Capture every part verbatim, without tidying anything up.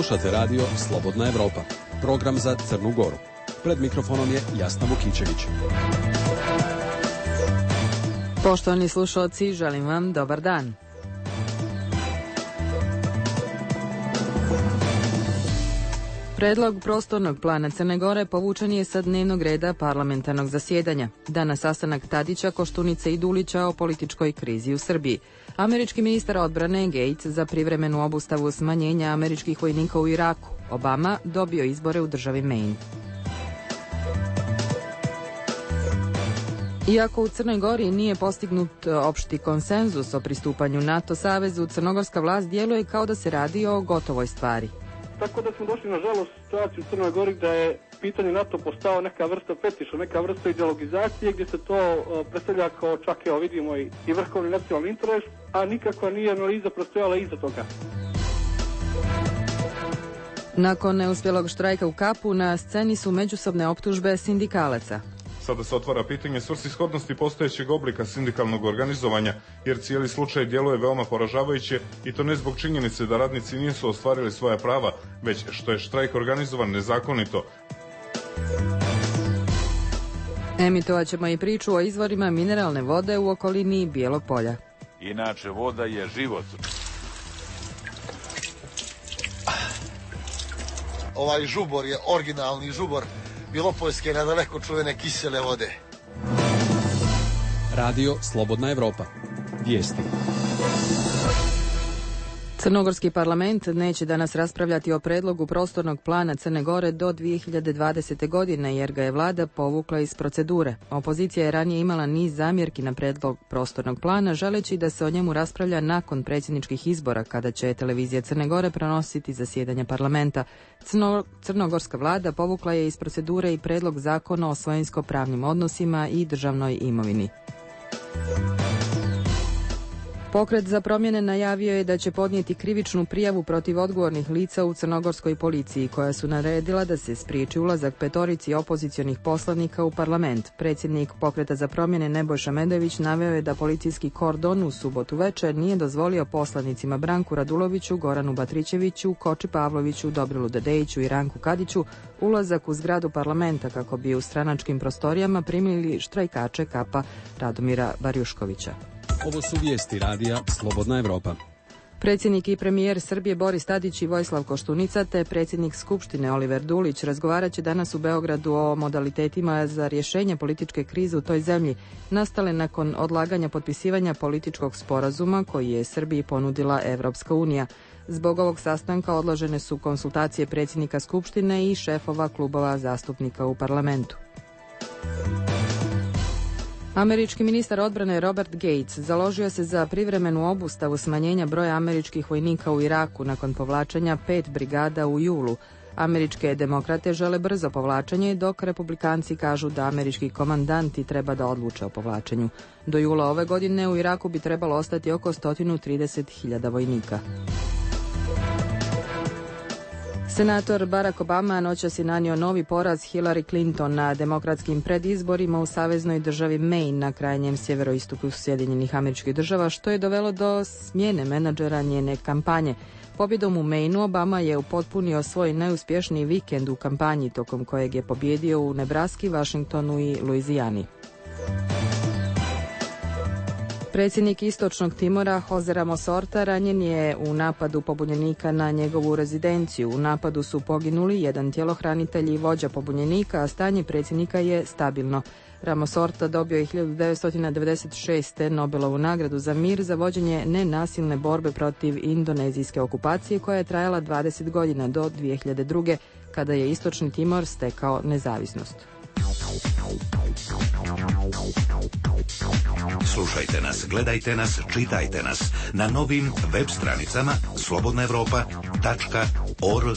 Slušate radio Slobodna Evropa, program za Crnu Goru. Pred mikrofonom je Jasna Vukićević. Poštovani slušalci, želim vam dobar dan. Predlog prostornog plana Crne Gore povučen je sa dnevnog reda parlamentarnog zasjedanja. Danas sastanak Tadića, Koštunice i Dulića o političkoj krizi u Srbiji. Američki ministar odbrane Gates za privremenu obustavu smanjenja američkih vojnika u Iraku. Obama dobio izbore u državi Maine. Iako u Crnoj Gori nije postignut opšti konsenzus o pristupanju NATO savezu, crnogorska vlast djeluje kao da se radi o gotovoj stvari. Tako da smo došli, nažalost, u situaciju u Crnoj Gori da je pitanje NATO postao neka vrsta fetiša, neka vrsta ideologizacije gdje se to predstavlja kao čak, evo vidimo, i, i vrhovni nacionalni interes, a nikakva nije analiza prostojala iza toga. Nakon neuspjelog štrajka u Kapu na sceni su međusobne optužbe sindikalaca. Sada se otvara pitanje svrsishodnosti postojećeg oblika sindikalnog organizovanja, jer cijeli slučaj djeluje veoma poražavajuće i to ne zbog činjenice da radnici nisu ostvarili svoja prava, već što je štrajk organizovan nezakonito. Emitovat ćemo i priču o izvorima mineralne vode u okolini Bijelog polja. Inače, voda je život. Ovaj žubor je originalni žubor Bilopoljske nadaleko čuvene kisele vode. Radio Slobodna Evropa. Vijesti. Crnogorski parlament neće danas raspravljati o predlogu prostornog plana Crne Gore do dvije hiljade dvadesete. godine jer ga je vlada povukla iz procedure. Opozicija je ranije imala niz zamjerki na predlog prostornog plana, želeći da se o njemu raspravlja nakon predsjedničkih izbora kada će televizija Crne Gore prenositi zasjedanje parlamenta. Crno, crnogorska vlada povukla je iz procedure i predlog zakona o svojinsko-pravnim odnosima i državnoj imovini. Pokret za promjene najavio je da će podnijeti krivičnu prijavu protiv odgovornih lica u crnogorskoj policiji, koja su naredila da se spriječi ulazak petorici opozicionih poslanika u parlament. Predsjednik Pokreta za promjene Nebojša Medojević naveo je da policijski kordon u subotu večer nije dozvolio poslanicima Branku Raduloviću, Goranu Batrićeviću, Koči Pavloviću, Dobrilu Dedejiću i Ranku Kadiću ulazak u zgradu parlamenta kako bi u stranačkim prostorijama primili štrajkače Kapa Radomira Barjuškovića. Ovo su vijesti radija Slobodna Evropa. Predsjednik i premijer Srbije Boris Tadić i Vojislav Koštunica te predsjednik Skupštine Oliver Dulić razgovarat će danas u Beogradu o modalitetima za rješenje političke krize u toj zemlji, nastale nakon odlaganja potpisivanja političkog sporazuma koji je Srbiji ponudila Evropska unija. Zbog ovog sastanka odložene su konsultacije predsjednika Skupštine i šefova klubova zastupnika u parlamentu. Američki ministar odbrane Robert Gates založio se za privremenu obustavu smanjenja broja američkih vojnika u Iraku nakon povlačenja pet brigada u julu. Američke demokrate žele brzo povlačenje, dok republikanci kažu da američki komandanti treba da odluče o povlačenju. Do jula ove godine u Iraku bi trebalo ostati oko sto trideset hiljada vojnika. Senator Barack Obama noćas je nanio novi poraz Hillary Clinton na demokratskim predizborima u saveznoj državi Maine na krajnjem sjeveroistoku Sjedinjenih Američkih Država, što je dovelo do smjene menadžera njene kampanje. Pobjedom u Maineu Obama je upotpunio svoj najuspješniji vikend u kampanji, tokom kojeg je pobjedio u Nebraski, Washingtonu i Luizijani. Predsjednik Istočnog Timora Jose Ramos Horta ranjen je u napadu pobunjenika na njegovu rezidenciju. U napadu su poginuli jedan tjelohranitelj i vođa pobunjenika, a stanje predsjednika je stabilno. Ramos Horta dobio je hiljadu devetsto devedeset šeste. Nobelovu nagradu za mir za vođenje nenasilne borbe protiv indonezijske okupacije koja je trajala dvadeset godina do dvije hiljade druge. kada je Istočni Timor stekao nezavisnost. Slušajte nas, gledajte nas, čitajte nas na novim web stranicama slobodna evropa tačka org.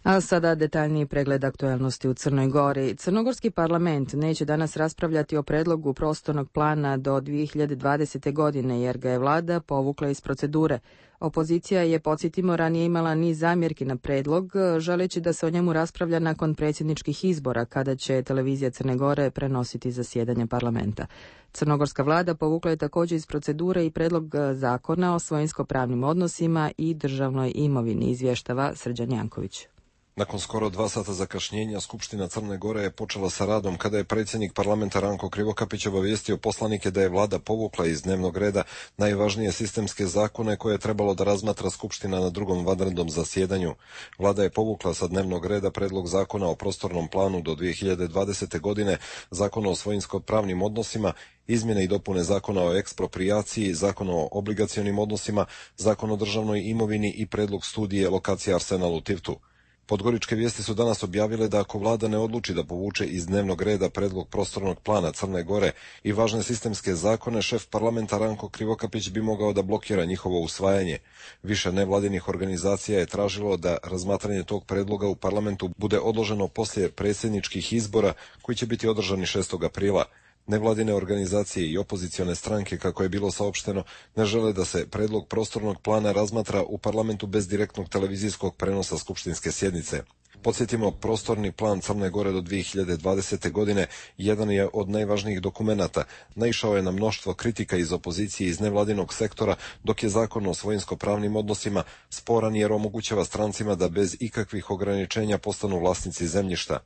A sada detaljniji pregled aktuelnosti u Crnoj Gori. Crnogorski parlament neće danas raspravljati o predlogu prostornog plana do dvije hiljade dvadesete. godine jer ga je vlada povukla iz procedure. Opozicija je, podsjetimo, ranije imala niz zamjerki na predlog, želeći da se o njemu raspravlja nakon predsjedničkih izbora, kada će televizija Crne Gore prenositi zasjedanje parlamenta. Crnogorska vlada povukla je također iz procedure i predlog zakona o svojinsko-pravnim odnosima i državnoj imovini, izvještava Srđan Janković. Nakon skoro dva sata zakašnjenja, Skupština Crne Gore je počela sa radom kada je predsjednik parlamenta Ranko Krivokapić obavijestio poslanike da je vlada povukla iz dnevnog reda najvažnije sistemske zakone koje je trebalo da razmatra Skupština na drugom vanrednom zasjedanju. Vlada je povukla sa dnevnog reda predlog zakona o prostornom planu do dvije hiljade dvadesete. godine, zakona o svojinsko-pravnim odnosima, izmjene i dopune zakona o eksproprijaciji, zakon o obligacionim odnosima, zakon o državnoj imovini i predlog studije lokacije Arsenal u Tivtu. Podgoričke vijesti su danas objavile da ako vlada ne odluči da povuče iz dnevnog reda predlog prostornog plana Crne Gore i važne sistemske zakone, šef parlamenta Ranko Krivokapić bi mogao da blokira njihovo usvajanje. Više nevladinih organizacija je tražilo da razmatranje tog predloga u parlamentu bude odloženo poslije predsjedničkih izbora koji će biti održani šestog aprila. Nevladine organizacije i opozicione stranke, kako je bilo saopšteno, ne žele da se predlog prostornog plana razmatra u parlamentu bez direktnog televizijskog prenosa skupštinske sjednice. Podsjetimo, prostorni plan Crne Gore do dvije hiljade dvadesete. godine jedan je od najvažnijih dokumenata. Naišao je na mnoštvo kritika iz opozicije i iz nevladinog sektora, dok je zakon o svojinsko-pravnim odnosima sporan jer omogućava strancima da bez ikakvih ograničenja postanu vlasnici zemljišta.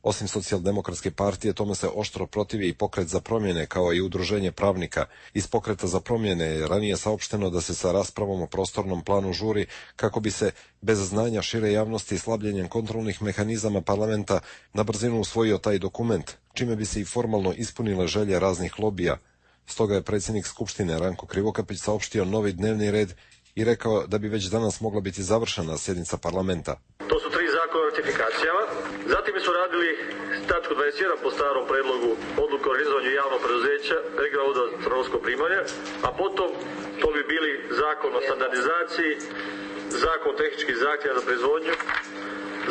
Osim socijaldemokratske partije, tome se oštro protivi i Pokret za promjene, kao i udruženje pravnika. Iz Pokreta za promjene je ranije saopšteno da se sa raspravom o prostornom planu žuri kako bi se, bez znanja šire javnosti i slabljenjem kontrolnih mehanizama parlamenta, na brzinu usvojio taj dokument, čime bi se i formalno ispunile želje raznih lobija. Stoga je predsjednik Skupštine Ranko Krivokapić saopštio novi dnevni red i rekao da bi već danas mogla biti završena sjednica parlamenta. To su tri zakona o ratifikacijama. Zatim su radili tačku dvadeset jedan po starom predlogu odluku o organizovanju javnog preduzeća regionalnog ureda za crnogorsko primanje, a potom to bi bili zakon o standardizaciji, zakon o tehničkih zahtjeva za proizvodnju,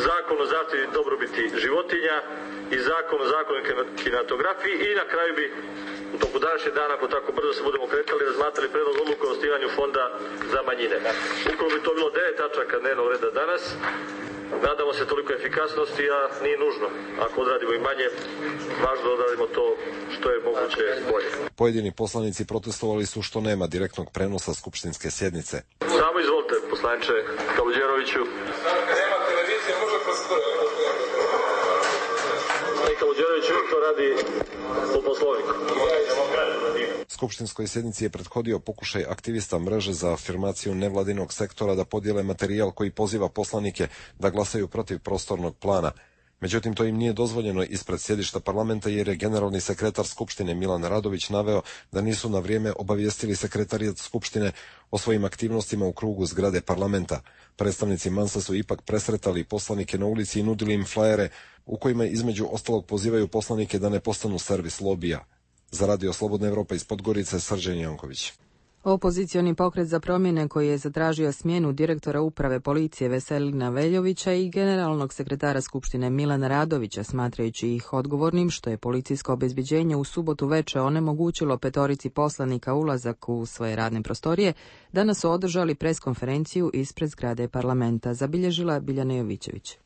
zakon o zaštiti dobrobiti životinja i zakon o zakonu kinematografiji i na kraju bi u toku današnjeg dana, ako tako brzo se budemo kretali, razmatrali predlog odluke o osnivanju fonda za manjine. Ukoliko bi to bilo devet tačaka dnevnog reda danas, nadamo se toliko efikasnosti, a nije nužno. Ako odradimo i manje, važno da odradimo to što je moguće bolje. Pojedini poslanici protestovali su što nema direktnog prenosa skupštinske sjednice. Samo izvolite, poslaniče Kaluđeroviću. Nema televizije, može kroz... Kaluđerović to radi po poslovniku. Skupštinskoj sjednici je prethodio pokušaj aktivista mreže za afirmaciju nevladinog sektora da podijele materijal koji poziva poslanike da glasaju protiv prostornog plana. Međutim, to im nije dozvoljeno ispred sjedišta parlamenta jer je generalni sekretar Skupštine Milan Radović naveo da nisu na vrijeme obavijestili sekretarijat Skupštine o svojim aktivnostima u krugu zgrade parlamenta. Predstavnici Mansa su ipak presretali poslanike na ulici i nudili im flajere u kojima između ostalog pozivaju poslanike da ne postanu servis lobija. Za Radio Slobodna Evropa iz Podgorice, Srđan Janković. Opozicioni pokret za promjene koji je zatražio smjenu direktora uprave policije Veselina Veljovića i generalnog sekretara Skupštine Milana Radovića, smatrajući ih odgovornim što je policijsko obezbeđenje u subotu veče onemogućilo petorici poslanika ulazak u svoje radne prostorije, danas su održali preskonferenciju ispred zgrade parlamenta, zabilježila Biljana Jovićević.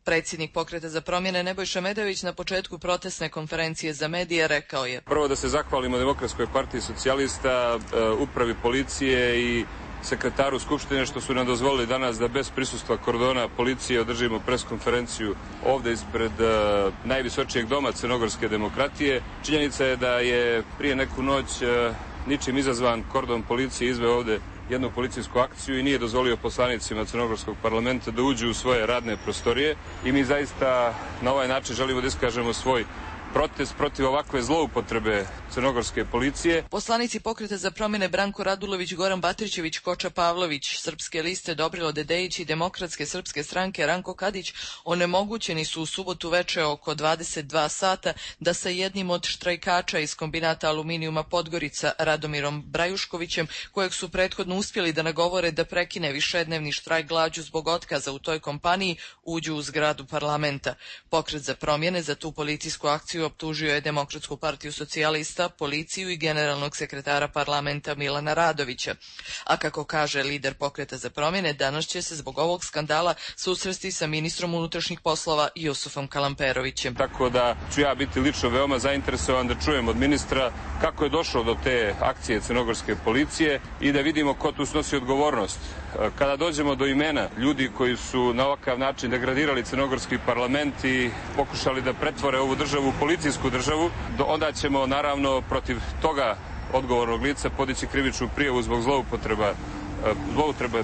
Predsjednik Pokreta za promjene Nebojša Medović na početku protestne konferencije za medije rekao je: Prvo da se zahvalimo Demokratskoj partiji socijalista, upravi policije i sekretaru Skupštine što su nam dozvolili danas da bez prisustva kordona policije održimo preskonferenciju ovdje ispred uh, najvisočijeg doma crnogorske demokratije. Činjenica je da je prije neku noć uh, ničim izazvan kordon policije izveo ovdje jednu policijsku akciju i nije dozvolio poslanicima crnogorskog parlamenta da uđu u svoje radne prostorije i mi zaista na ovaj način želimo da iskažemo svoj protest protiv ovakve zloupotrebe crnogorske policije. Poslanici Pokreta za promjene Branko Radulović, Goran Batrićević, Koča Pavlović, Srpske liste Dobrilo Dedejić i Demokratske srpske stranke Ranko Kadić onemogućeni su u subotu veče oko dvadeset dva sata da sa jednim od štrajkača iz kombinata aluminijuma Podgorica, Radomirom Brajuškovićem, kojeg su prethodno uspjeli da nagovore da prekine višednevni štrajk glađu zbog otkaza u toj kompaniji, uđu u zgradu parlamenta. Pokret za promjene za tu policijsku akciju optužio je Demokratsku partiju socijalista, policiju i generalnog sekretara parlamenta Milana Radovića. A kako kaže lider Pokreta za promjene, danas će se zbog ovog skandala susresti sa ministrom unutrašnjih poslova Jusufom Kalamperovićem. Tako da ću ja biti lično veoma zainteresovan da čujem od ministra kako je došlo do te akcije crnogorske policije i da vidimo ko tu snosi odgovornost. Kada dođemo do imena ljudi koji su na ovakav način degradirali crnogorski parlament i pokušali da pretvore ovu državu u policijsku državu, onda ćemo naravno protiv toga odgovornog lica podići krivičnu prijavu zbog zloupotreba, zloupotrebe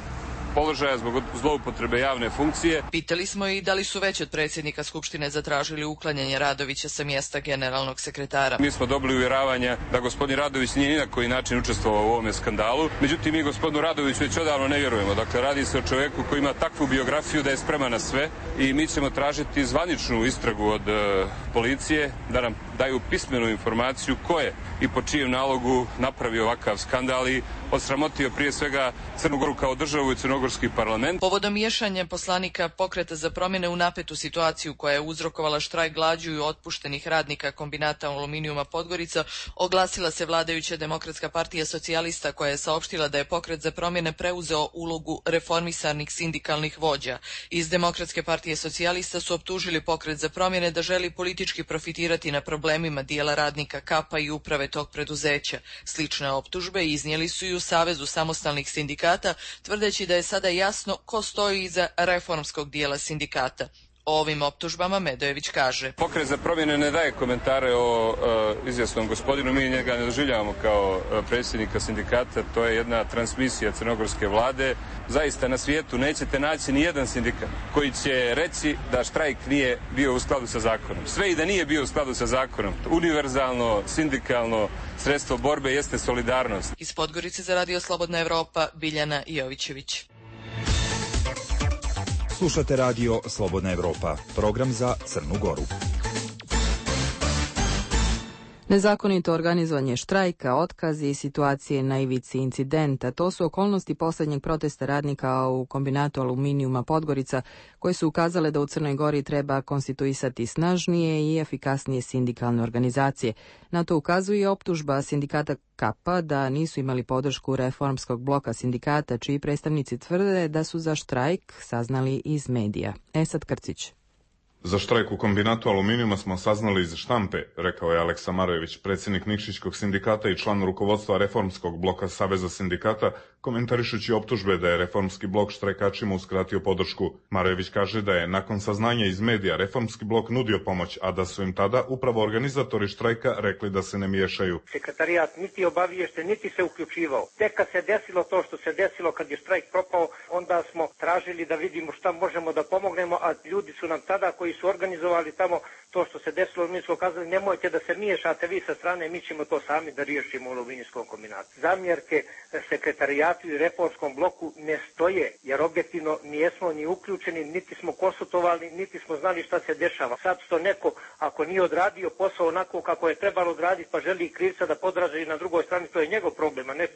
položaja, zbog zloupotrebe javne funkcije. Pitali smo i da li su već od predsjednika Skupštine zatražili uklanjanje Radovića sa mjesta generalnog sekretara. Mi smo dobili uvjeravanja da gospodin Radović nije ni na koji način učestvovao u ovome skandalu. Međutim, mi gospodinu Radoviću već odavno ne vjerujemo. Dakle, radi se o čovjeku koji ima takvu biografiju da je spreman na sve i mi ćemo tražiti zvaničnu istragu od uh, policije da nam daju pismenu informaciju ko je i po čijem nalogu napravio ovakav skandal i osramotio prije svega Crnu Goru kao državu i crnogorski parlament. Povodom miješanja poslanika Pokreta za promjene u napetu situaciju koja je uzrokovala štrajk glađu i otpuštenih radnika kombinata aluminijuma Podgorica, oglasila se vladajuća Demokratska partija socijalista koja je saopštila da je Pokret za promjene preuzeo ulogu reformisanih sindikalnih vođa. Iz Demokratske partije socijalista su optužili Pokret za promjene da želi politički profitirati na problemima dijela radnika Kapa i uprave tog preduzeća. Slične optužbe iznijeli su i u Savezu samostalnih sindikata, tvrdeći da je sada jasno ko stoji iza reformskog dijela sindikata. O ovim optužbama Medojević kaže: Pokret za promjene ne daje komentare o uh, izvjesnom gospodinu, mi njega ne doživljavamo kao uh, predsjednika sindikata, to je jedna transmisija crnogorske vlade. Zaista na svijetu nećete naći ni jedan sindikat koji će reći da štrajk nije bio u skladu sa zakonom. Sve i da nije bio u skladu sa zakonom. Univerzalno, sindikalno sredstvo borbe jeste solidarnost. Iz Podgorice za Radio Slobodna Evropa, Biljana Jovićević. Slušate Radio Slobodna Evropa, program za Crnu Goru. Nezakonito organizovanje štrajka, otkazi i situacije na ivici incidenta. To su okolnosti posljednjeg protesta radnika u kombinatu aluminijuma Podgorica, koje su ukazale da u Crnoj Gori treba konstituisati snažnije i efikasnije sindikalne organizacije. Na to ukazuje i optužba sindikata Kapa da nisu imali podršku reformskog bloka sindikata, čiji predstavnici tvrde da su za štrajk saznali iz medija. Esad Krcić. Za štrajk u kombinatu aluminijuma smo saznali iz štampe, rekao je Aleksa Marojević, predsjednik Nikšićkog sindikata i član rukovodstva reformskog bloka Saveza sindikata, komentarišući optužbe da je reformski blok štrajkačima uskratio podršku. Marojević kaže da je nakon saznanja iz medija reformski blok nudio pomoć, a da su im tada upravo organizatori štrajka rekli da se ne miješaju. Sekretarijat niti obaviješten, niti se uključivao. Tek kad se desilo to što se desilo, kad je štrajk propao, onda smo tražili da vidimo šta možemo da pomognemo, a ljudi su nam tada koji su organizovali tamo to što se desilo, mi smo kazali nemojte da se miješate vi sa strane, mi ćemo to sami da riješimo u aluminijskom kombinatu. Zamjerke sekretarijatu i reformskom bloku ne stoje, jer objektivno nijesmo ni uključeni, niti smo konsultovali, niti smo znali šta se dešava. Sad što neko, ako nije odradio posao onako kako je trebalo odraditi, pa želi krivca da podraži na drugoj strani, to je njegov problem, a ne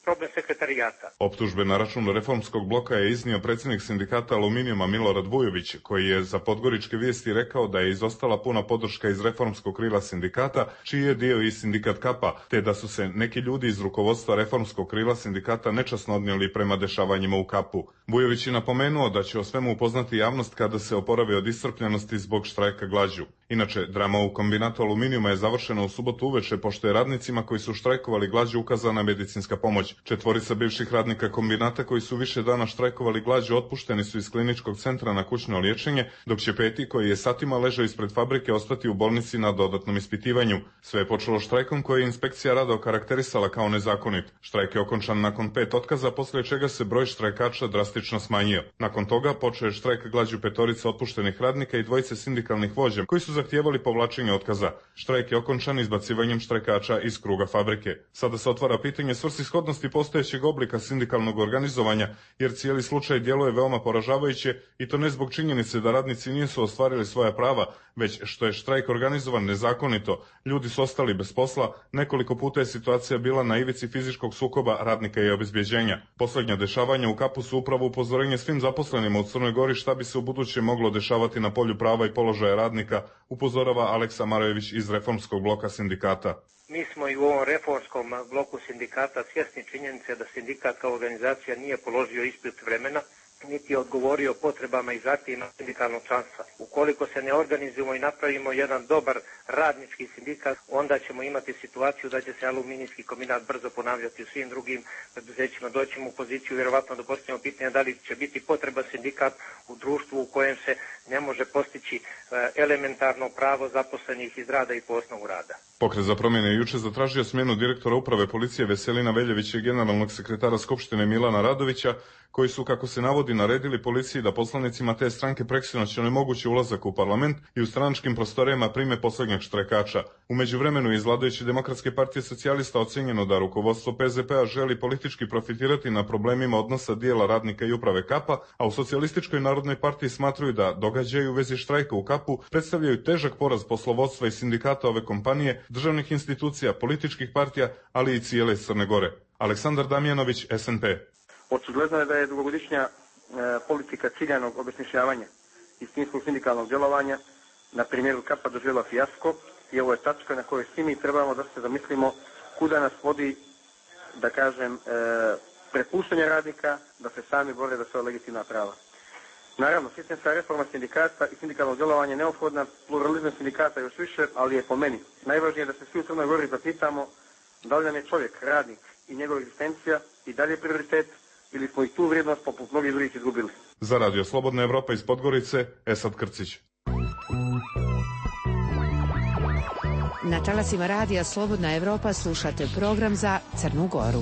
problem sekretarijata. Optužbe na račun reformskog bloka je iznio predsjednik sindikata aluminijuma Milorad Vujović, koji je za Podgoričke vijesti rekao da je izostala puna podrška iz reformskog krila sindikata, čiji je dio i sindikat Kapa, te da su se neki ljudi iz rukovodstva reformskog krila sindikata nečasno odnijeli prema dešavanjima u Kapu. Vujović je napomenuo da će o svemu upoznati javnost kada se oporavi od iscrpljenosti zbog štrajka glađu. Inače, drama u kombinatu aluminijuma je završena u subotu uveče, pošto je radnicima koji su štrajkovali glađu ukazana medicinska pomoć. Četvorica bivših radnika kombinata koji su više dana štrajkovali glađu otpušteni su iz kliničkog centra na kućno liječenje, dok će peti, koji je satima ležao ispred fabrike, ostati u bolnici na dodatnom ispitivanju. Sve je počelo štrajkom koji je inspekcija rada okarakterisala kao nezakonit. Štrajk je okončan nakon pet otkaza, poslije čega se broj štrajkača drastično smanjio. Nakon toga počeo je štrajk glađu petorice otpuštenih radnika i dvojice sindikalnih vođa, koji su zahtijevali povlačenje otkaza. Štrajk je okončan izbacivanjem štrajkača iz kruga fabrike. Sada se otvara pitanje svrsishodnosti postojećeg oblika sindikalnog organizovanja, jer cijeli slučaj djeluje veoma poražavajuće i to ne zbog činjenice da radnici nisu ostvarili svoja prava, već što je štrajk organizovan nezakonito. Ljudi su ostali bez posla, nekoliko puta je situacija bila na ivici fizičkog sukoba radnika i obezbjeđenja. Posljednja dešavanja u Kapu su upravo upozorenje svim zaposlenima u Crnoj Gori šta bi se u buduće moglo dešavati na polju prava i položaja radnika, upozorava Aleksa Marojević iz Reformskog bloka sindikata. Mi smo i u ovom reformskom bloku sindikata svjesni činjenice da sindikat kao organizacija nije položio ispit vremena, niti je odgovorio potrebama i zahtjevima sindikalnog članstva. Ukoliko se ne organizujemo i napravimo jedan dobar radnički sindikat, onda ćemo imati situaciju da će se aluminijski kombinat brzo ponavljati u svim drugim preduzećima. Doćemo u poziciju vjerovatno da postavimo pitanje da li će biti potreba sindikat u društvu u kojem se ne može postići elementarno pravo zaposlenih iz rada i po osnovu rada. Pokret za promjene je juče zatražio smjenu direktora uprave policije Veselina Veljevića i generalnog sekretara Skupštine Milana Radovića, koji su, kako se navodi, naredili policiji da poslanicima te stranke preksinoć onemogući ulazak u parlament i u stranačkim prostorijama prime posljednjeg štrajkača. U međuvremenu iz vladajuće Demokratske partije socijalista ocjenjeno da rukovodstvo P Z P-a želi politički profitirati na problemima odnosa dijela radnika i uprave Kapa, a u Socijalističkoj narodnoj partiji smatruju da događaji u vezi štrajka u Kapu predstavljaju težak poraz poslovodstva i sindikata ove kompanije, državnih institucija, političkih partija, ali i cijele Crne Gore. Aleksandar Damjanović, S N P. Očigledno je da je dugogodišnja e, politika ciljanog obesmišljavanja i istinskog sindikalnog djelovanja na primjeru Kapa doživjela fijasko i ovo je tačka na kojoj svi mi trebamo da se zamislimo kuda nas vodi, da kažem, e, prepuštanje radnika da se sami bore za svoja legitimna prava. Naravno, sistemska reforma sindikata i sindikalnog djelovanja je neophodna, pluralizam sindikata još više, ali je po meni najvažnije da se svi u Crnoj Gori zapitamo da li nam je čovjek, radnik i njegova egzistencija i dalje prioritet, ili smo i tu vrijednost poput mnogih drugih izgubili. Za Radio Slobodna Evropa iz Podgorice, Esad Krcić. Na talasima Radija Slobodna Evropa slušate program za Crnu Goru.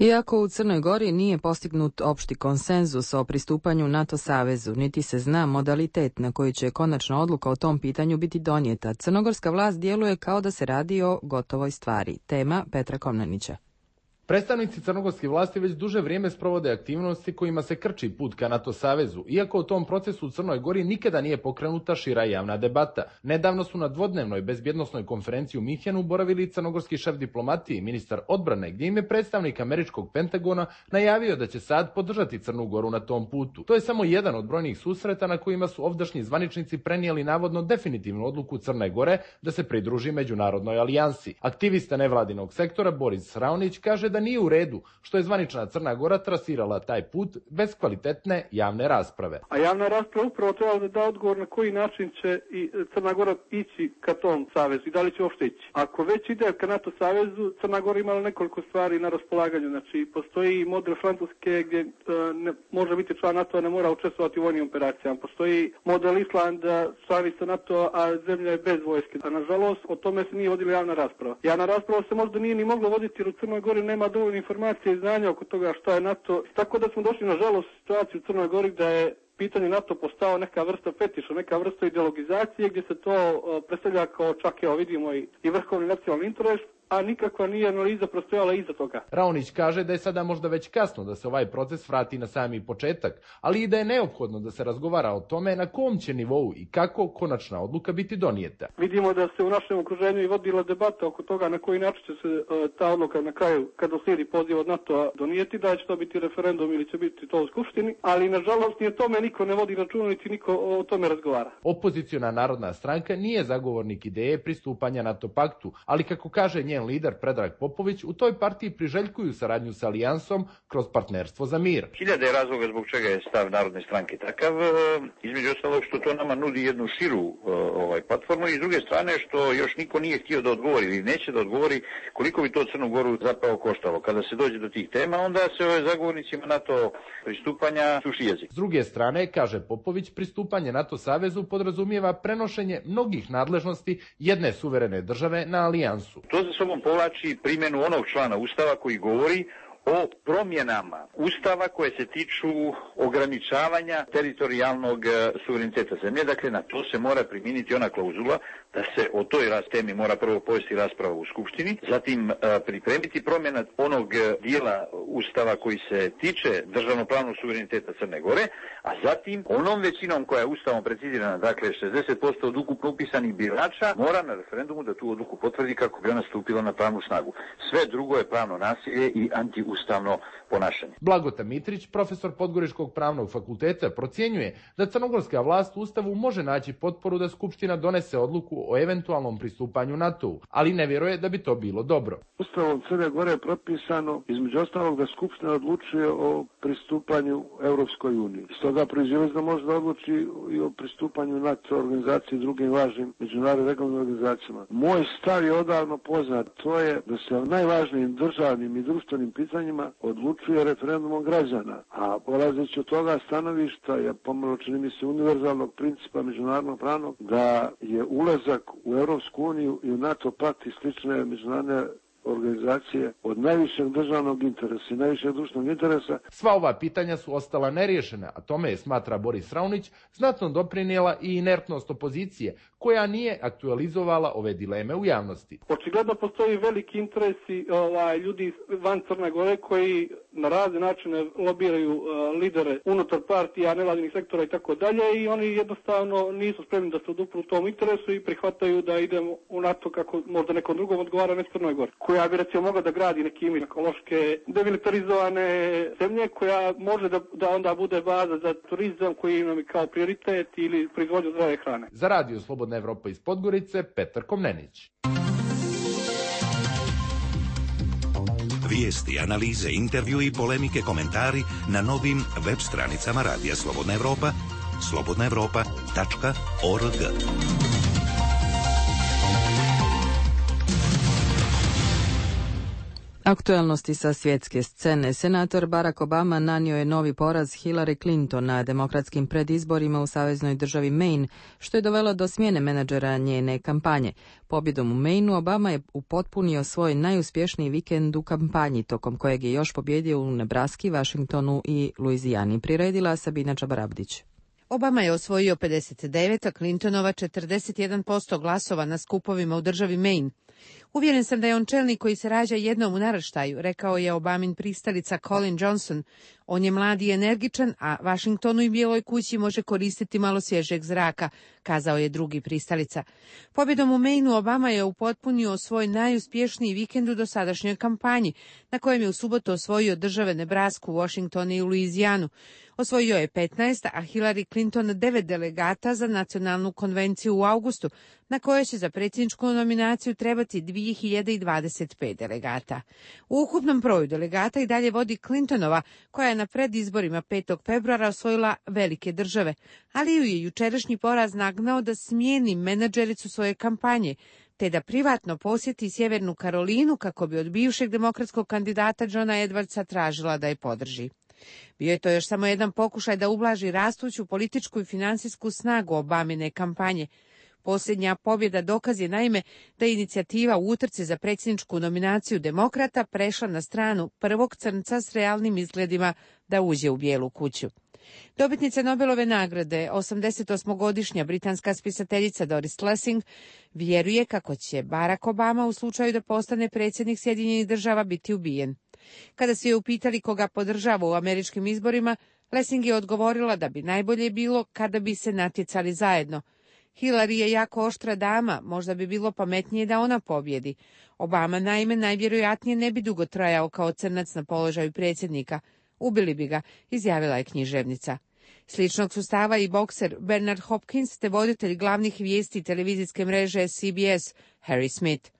Iako u Crnoj Gori nije postignut opšti konsenzus o pristupanju NATO savezu, niti se zna modalitet na koji će konačna odluka o tom pitanju biti donijeta, crnogorska vlast djeluje kao da se radi o gotovoj stvari. Tema Petra Komnenića. Predstavnici crnogorske vlasti već duže vrijeme sprovode aktivnosti kojima se krči put ka NATO savezu, iako u tom procesu u Crnoj Gori nikada nije pokrenuta šira javna debata. Nedavno su na dvodnevnoj bezbjednosnoj konferenciji u Minhenu boravili crnogorski šef diplomatije i ministar odbrane, gdje im je predstavnik američkog Pentagona najavio da će sad podržati Crnu Goru na tom putu. To je samo jedan od brojnih susreta na kojima su ovdašnji zvaničnici prenijeli navodno definitivnu odluku Crne Gore da se pridruži međunarodnoj alijansi. Aktivista nevladinog sektora Boris Raonić kaže da nije u redu što je zvanična Crna Gora trasirala taj put bez kvalitetne javne rasprave. A javna rasprava upravo treba da da odgovor na koji način će i Crna Gora ići ka tom savezu i da li će uopšte ići. Ako već ide ka NATO savezu, Crna Gora imala nekoliko stvari na raspolaganju. Znači, postoji model Francuske gdje uh, ne, može biti član NATO-a, ne mora učestvovati u vojnim operacijama. Postoji model Islanda, članica NATO-a, a zemlja je bez vojske. A nažalost, o tome se nije vodila javna rasprava. Javna rasprava se možda nije ni mogla voditi jer u Crnoj Gori nema dovoljno informacije i znanja oko toga šta je NATO. Tako da smo došli nažalost u situaciju u Crnoj Gori da je pitanje NATO postao neka vrsta fetiša, neka vrsta ideologizacije gdje se to uh, predstavlja kao čak evo vidimo i, i vrhovni nacionalni interes, a nikakva nije analiza prostojala iza toga. Raonić kaže da je sada možda već kasno da se ovaj proces vrati na sami početak, ali i da je neophodno da se razgovara o tome na kom će nivou i kako konačna odluka biti donijeta. Vidimo da se u našem okruženju i vodila debata oko toga na koji način će se uh, ta odluka na kraju, kada slijedi poziv od NATO-a, donijeti, da će to biti referendum ili će biti to u Skupštini, ali nažalost ni o tome niko ne vodi računa, niti niko o tome razgovara. Opoziciona narodna stranka nije zagovornik ideje pristupanja NATO paktu, ali kako kaže njen lider Predrag Popović, u toj partiji priželjkuju saradnju sa alijansom kroz partnerstvo za mir. Hiljade razloga zbog čega je stav Narodne stranke takav, između ostalog što to nama nudi jednu širu ovaj, platformu i s druge strane što još niko nije htio da odgovori ili neće da odgovori koliko bi to Crnu Goru zapravo koštalo. Kada se dođe do tih tema, onda se ove zagovornicima NATO pristupanja suši jezik. S druge strane, kaže Popović, pristupanje NATO savezu podrazumijeva prenošenje mnogih nadležnosti jedne suverene države na alijansu. To za sobom sobom povlači primjenu onog člana Ustava koji govori o promjenama Ustava koje se tiču ograničavanja teritorijalnog suvereniteta zemlje. Dakle, na to se mora primijeniti ona klauzula da se o toj temi mora prvo povesti rasprava u Skupštini, zatim pripremiti promjena onog dijela Ustava koji se tiče državnopravnog suvereniteta Crne Gore, a zatim onom većinom koja je Ustavom precizirana, dakle šezdeset posto od ukupno upisanih birača, mora na referendumu da tu odluku potvrdi kako bi ona stupila na pravnu snagu. Sve drugo je pravno nasilje i antiustavno ponašanje. Blagota Mitrić, profesor Podgoričkog pravnog fakulteta, procjenjuje da crnogorska vlast u Ustavu može naći potporu da Skupština donese odluku o eventualnom pristupanju NATO-u, ali ne vjeruje da bi to bilo dobro. Ustavom Crne Gore je propisano, između ostalog, da Skupština odlučuje o pristupanju Europskoj uniji. Stoga proizvoljno da može da odluči i o pristupanju NATO organizaciji i drugim važnim međunarodnim regionalnim organizacijama. Moj stav je odavno poznat, to je da se o najvažnijim državnim i društvenim pitanjima odlučuje referendumom građana, a polazeći od toga stanovišta je pomalo, čini mi se, univerzalnog principa međunarodnog pravnog, da je ulazak u Europsku uniju i u NATO pakt i slične međunarodne organizacije od najvišeg državnog interesa i najvišeg društvenog interesa. Sva ova pitanja su ostala neriješena, a tome je, smatra Boris Raunić, znatno doprinijela i inertnost opozicije, koja nije aktualizovala ove dileme u javnosti. Očigledno postoji veliki interesi ovaj, ljudi van Crne Gore koji na razne načine lobiraju uh, lidere unutar partija, nevladinih sektora i tako dalje, i oni jednostavno nisu spremni da se odupru u tom interesu i prihvataju da idemo u NATO kako možda nekom drugom odgovara, ne Crnoj Gori, koja bi recimo mogla da gradi nekim ekološke demilitarizovane zemlje, koja može da, da onda bude baza za turizam koji imamo kao prioritet ili proizvodnju zdrave hrane. Za Radio Slobodna Evropa iz Podgorice, Petar Komnenić. Vijesti, analize, intervju i polemike, komentari na novim web stranicama Radija Slobodna Evropa, slobodna evropa tačka org. Aktuelnosti sa svjetske scene. Senator Barack Obama nanio je novi poraz Hillary Clinton na demokratskim predizborima u saveznoj državi Maine, što je dovelo do smjene menadžera njene kampanje. Pobjedom u Maineu Obama je upotpunio svoj najuspješniji vikend u kampanji, tokom kojeg je još pobjedio u Nebraski, Washingtonu i Luizijani. Priredila Sabina Čabarabdić. Obama je osvojio pedeset devet, a Clintonova četrdeset jedan posto glasova na skupovima u državi Maine. Uvjeren sam da je on čelnik koji se rađa jednom u naraštaju, rekao je Obamin pristalica Colin Johnson. On je mlad i energičan, a Washingtonu i Bijeloj kući može koristiti malo svježeg zraka, kazao je drugi pristalica. Pobjedom u Maineu Obama je upotpunio svoj najuspješniji vikend u dosadašnjoj kampanji, na kojem je u subotu osvojio države Nebrasku, Washington i Luizijanu. Osvojio je petnaest, a Hillary Clinton devet delegata za nacionalnu konvenciju u avgustu, na kojoj će za predsjedničku nominaciju trebati dvije hiljade dvadeset pet delegata. U ukupnom broju delegata i dalje vodi Clintonova, koja je na predizborima petog februara osvojila velike države, ali ju je jučerašnji poraz nagnao da smijeni menadžericu svoje kampanje, te da privatno posjeti Sjevernu Karolinu kako bi od bivšeg demokratskog kandidata Johna Edwardsa tražila da je podrži. Bio je to još samo jedan pokušaj da ublaži rastuću političku i financijsku snagu Obamine kampanje. Posljednja pobjeda dokaz je naime da je inicijativa u utrci za predsjedničku nominaciju demokrata prešla na stranu prvog crnca s realnim izgledima da uđe u Bijelu kuću. Dobitnica Nobelove nagrade, osamdesetosmogodišnja britanska spisateljica Doris Lessing, vjeruje kako će Barack Obama u slučaju da postane predsjednik Sjedinjenih država biti ubijen. Kada su je upitali koga podržava u američkim izborima, Lessing je odgovorila da bi najbolje bilo kada bi se natjecali zajedno. Hillary je jako oštra dama, možda bi bilo pametnije da ona pobjedi. Obama naime najvjerojatnije ne bi dugo trajao kao crnac na položaju predsjednika. Ubili bi ga, izjavila je književnica. Sličnog su stava i bokser Bernard Hopkins te voditelj glavnih vijesti televizijske mreže C B S Harry Smith.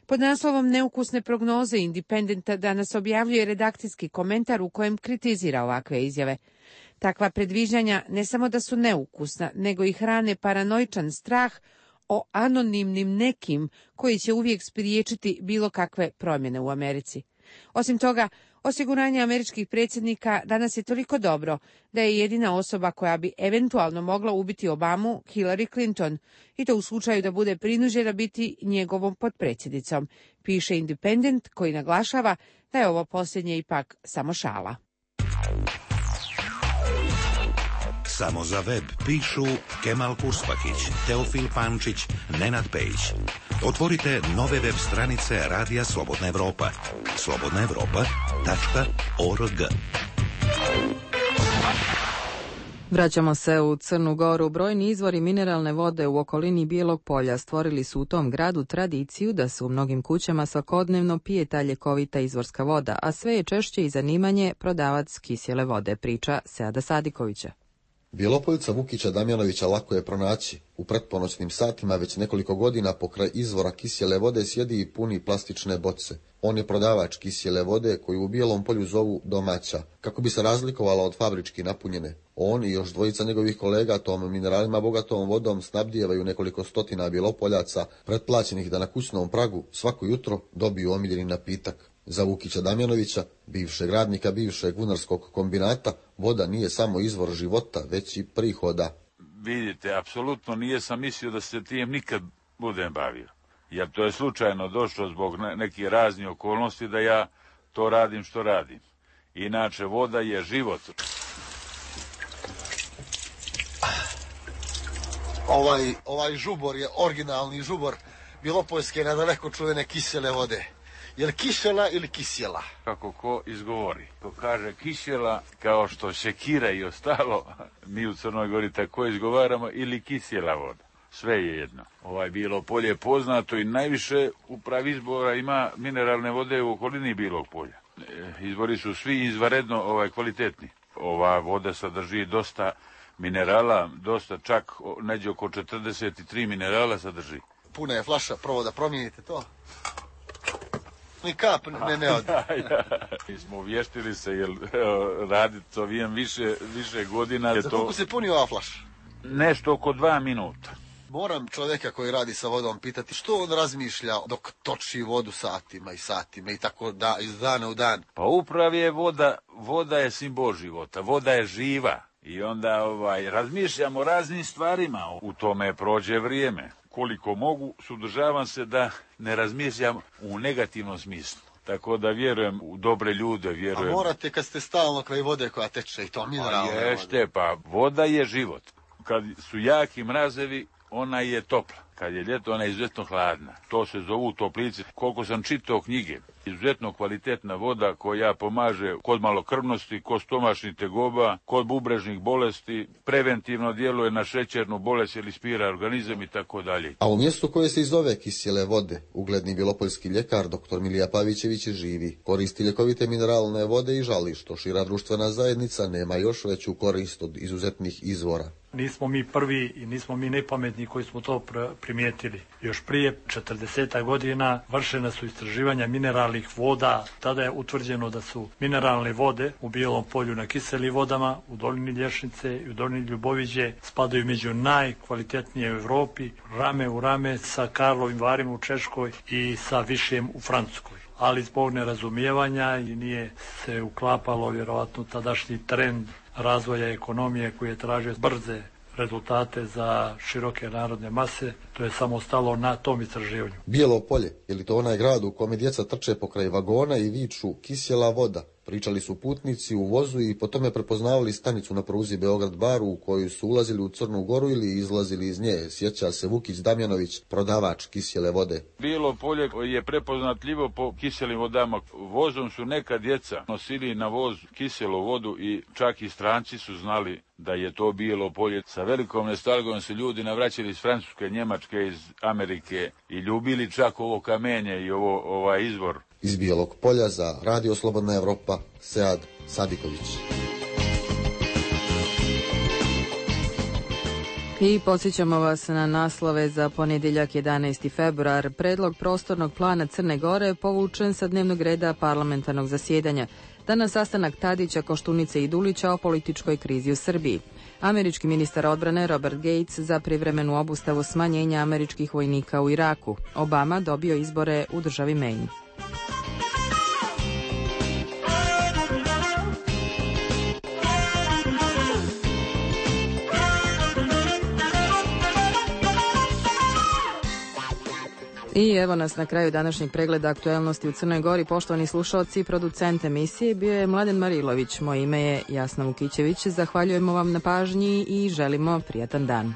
Pod naslovom Neukusne prognoze Independenta danas objavljuje redakcijski komentar u kojem kritizira ovakve izjave. Takva predviđanja ne samo da su neukusna, nego i hrane paranoičan strah o anonimnim nekim koji će uvijek spriječiti bilo kakve promjene u Americi. Osim toga, Osiguranje američkih predsjednika danas je toliko dobro da je jedina osoba koja bi eventualno mogla ubiti Obamu Hillary Clinton, i to u slučaju da bude prinuđena biti njegovom potpredsjednicom, piše Independent, koji naglašava da je ovo posljednje ipak samo šala. Samo za web pišu Kemal Kurspakić, Teofil Pančić, Nenad Pejić. Otvorite nove web stranice Radija Slobodna Evropa. slobodna evropa tačka org. Vraćamo se u Crnu Goru. Brojni izvori mineralne vode u okolini Bijelog polja stvorili su u tom gradu tradiciju da se u mnogim kućama svakodnevno pije ta ljekovita izvorska voda, a sve je češće i zanimanje prodavac kisjele vode, priča Seada Sadikovića. Bjelopoljca Vukića Damjanovića lako je pronaći. U pretponoćnim satima već nekoliko godina pokraj izvora kisjele vode sjedi i puni plastične boce. On je prodavač kisjele vode koju u Bijelom Polju zovu domaća, kako bi se razlikovala od fabrički napunjene. On i još dvojica njegovih kolega tom mineralima bogatom vodom snabdijevaju nekoliko stotina Bjelopoljaca, pretplaćenih da na kućnom pragu svako jutro dobiju omiljeni napitak. Za Vukića Damjanovića, bivšeg radnika bivšeg vunarskog kombinata, voda nije samo izvor života, već i prihoda. Vidite, apsolutno nije sam mislio da se tijem nikad budem bavio. Jer to je slučajno došlo zbog nekih raznih okolnosti da ja to radim što radim. Inače, voda je život. Ovaj, ovaj žubor je originalni žubor Bjelopoljske nadaleko čuvene kisele vode. Je li kisela ili kisjela? Kako ko izgovori. Ko kaže kisjela, kao što šekira i ostalo, mi u Crnoj Gori tako izgovaramo, ili kisjela voda. Sve je jedno. Ovaj Bijelo polje je poznato i najviše upravi izbora ima mineralne vode u okolini Bijelog polja. Izbori su svi izvanredno ovaj, kvalitetni. Ova voda sadrži dosta minerala, dosta čak neđe oko četrdeset tri minerala sadrži. Puna je flaša, prvo da promijenite to. Ni kap ne ne od. Mi smo vještili se, jer raditi to vijem više, više godina. Za koliko se puni ova flaša? Nešto oko dva minuta. Moram čovjeka koji radi sa vodom pitati što on razmišlja dok toči vodu satima i satima i tako da iz dana u dan. Pa upravo je voda, voda je simbol života, voda je živa i onda ovaj, razmišljamo o raznim stvarima. U tome prođe vrijeme. Koliko mogu, sudržavam se da ne razmišljam u negativnom smislu. Tako da vjerujem u dobre ljude, vjerujem... A morate kad ste stalno kraj vode koja teče i to mineralne vode. Ješte, pa voda je život. Kad su jaki mrazevi, ona je topla. Kad je ljeto, ona je izuzetno hladna. To se zovu toplice. Koliko sam čitao knjige, izuzetno kvalitetna voda koja pomaže kod malokrvnosti, kod stomačnih tegoba, kod bubrežnih bolesti, preventivno djeluje na šećernu bolest ili spira organizam i tako dalje. A u mjestu koje se i zove kisjele vode, ugledni bjelopoljski ljekar doktor Milija Pavićević živi. Koristi ljekovite mineralne vode i žali što šira društvena zajednica nema još veću korist od izuzetnih izvora. Nismo mi prvi i nismo mi nepametni koji smo to primijetili. Još prije četrdeset godina vršena su istraživanja mineralnih voda. Tada je utvrđeno da su mineralne vode u Bijelom polju na kiselim vodama, u dolini Lješnice i u dolini Ljuboviđe spadaju među najkvalitetnije u Europi, rame u rame sa Karlovim Varima u Češkoj i sa Višjem u Francuskoj. Ali zbog nerazumijevanja i nije se uklapalo vjerovatno tadašnji trend razvoja ekonomije koji je tražio brze rezultate za široke narodne mase, to je samo stalo na tom istraživanju. Bijelo polje, je li to onaj grad u kome djeca trče pokraj vagona i viču kisjela voda? Pričali su putnici u vozu i po tome prepoznavali stanicu na pruzi Beograd-Bar u koju su ulazili u Crnu Goru ili izlazili iz nje, sjeća se Vukić Damjanović, prodavač kisjele vode. Bijelo polje je prepoznatljivo po kiselim vodama. Vozom su neka djeca nosili na voz kiselu vodu i čak i stranci su znali da je to Bijelo polje. Sa velikom nostalgijom su ljudi navraćali iz Francuske, Njemačke, iz Amerike i ljubili čak ovo kamenje i ovo ovaj izvor. Iz Bijelog polja za Radio Slobodna Evropa, Sead Sadiković. I podsjećamo vas na naslove za ponedjeljak jedanaesti februar. Predlog prostornog plana Crne Gore povučen sa dnevnog reda parlamentarnog zasjedanja. Danas sastanak Tadića, Koštunice i Dulića o političkoj krizi u Srbiji. Američki ministar odbrane Robert Gates za privremenu obustavu smanjenja američkih vojnika u Iraku. Obama dobio izbore u državi Maine. I evo nas na kraju današnjeg pregleda aktuelnosti u Crnoj Gori. Poštovani slušalci, producent emisije bio je Mladen Marilović. Moje ime je Jasna Vukićević. Zahvaljujemo vam na pažnji i želimo prijatan dan.